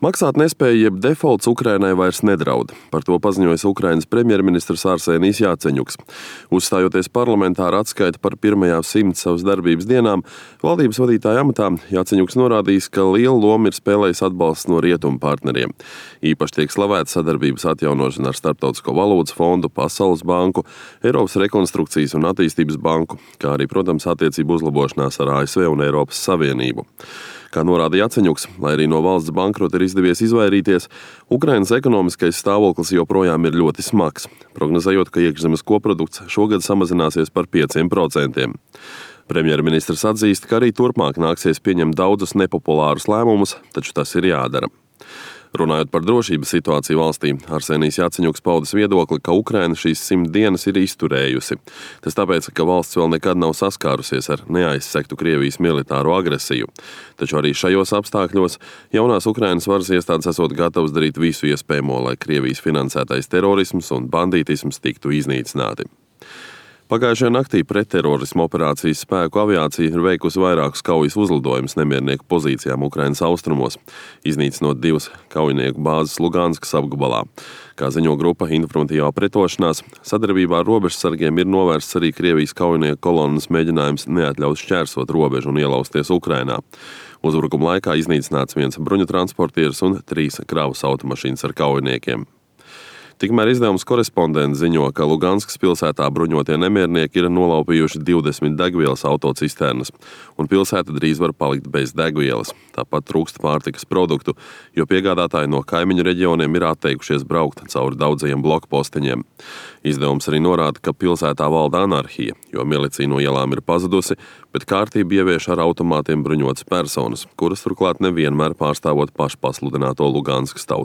Maksāt nespēja jeb defaults Ukrainai vairs nedraud. Par to paziņojas Ukrainas premjerministrs Arsenijs Jaceņuks. Uzstājoties parlamentāra atskaita par pirmajām 100 savas darbības dienām, valdības vadītāja amatā Jaceņuks norādījis, ka lielu lomu ir spēlējis atbalsts no rietumu partneriem. Īpaši tiek slavēta sadarbības atjaunošana ar Starptautisko valūtas fondu, Pasaules banku, Eiropas rekonstrukcijas un attīstības banku, kā arī, protams, attiecību uzlabošanās ar ASV un Eiropas Savienību. Kā norāda Jaceņuks, lai arī no valsts bankrota ir izdevies izvairīties, Ukrainas ekonomiskais stāvoklis joprojām ir ļoti smags, prognozējot, ka iekšzemes koprodukts šogad samazināsies par 5%. Premjerministrs atzīst, ka arī turpmāk nāksies pieņemt daudzus nepopulārus lēmumus, taču tas ir jādara. Runājot par drošības situāciju valstī, Arsenijs Jaceņuks paudis viedokli, ka Ukraina šīs 100 dienas ir izturējusi. Tas tāpēc, ka valsts vēl nekad nav saskārusies ar neaizsektu Krievijas militāro agresiju. Taču arī šajos apstākļos jaunās Ukrainas varas iestādes esot gatavas darīt visu iespējamo, lai Krievijas finansētais terorisms un bandītisms tiktu iznīcināti. Pagājušajā naktī pretterorisma operācijas spēku aviācija ir veikusi vairākus kaujas uzlidojumus nemiernieku pozīcijām Ukrainas austrumos, iznīcinot 2 kaujinieku bāzes Luganskas apgabalā. Kā ziņo grupa Informatīvā pretošanās, sadarbībā ar robežsargiem ir novērsts arī Krievijas kaujinieku kolonnas mēģinājums neatļaut šķērsot robežu un ielausties Ukrainā. Uzbrukuma laikā iznīcināts 1 bruņu transportieris un 3 kravas automašīnas ar kaujiniekiem. Tikmēr izdevums Korespondents ziņo, ka Luganskas pilsētā bruņotie nemiernieki ir nolaupījuši 20 degvielas autocisternas, un pilsēta drīz var palikt bez degvielas. Tāpat trūkst pārtikas produktu, jo piegādātāji no kaimiņu reģioniem ir atteikušies braukt cauri daudzajiem blokposteņiem. Izdevums arī norāda, ka pilsētā valda anarhija, jo milicija no ielām ir pazudusi, bet kārtību ievieš ar automātiem bruņotas personas, kuras turklāt nevienmēr pārstāvot pašpasludināto Luganskas tautas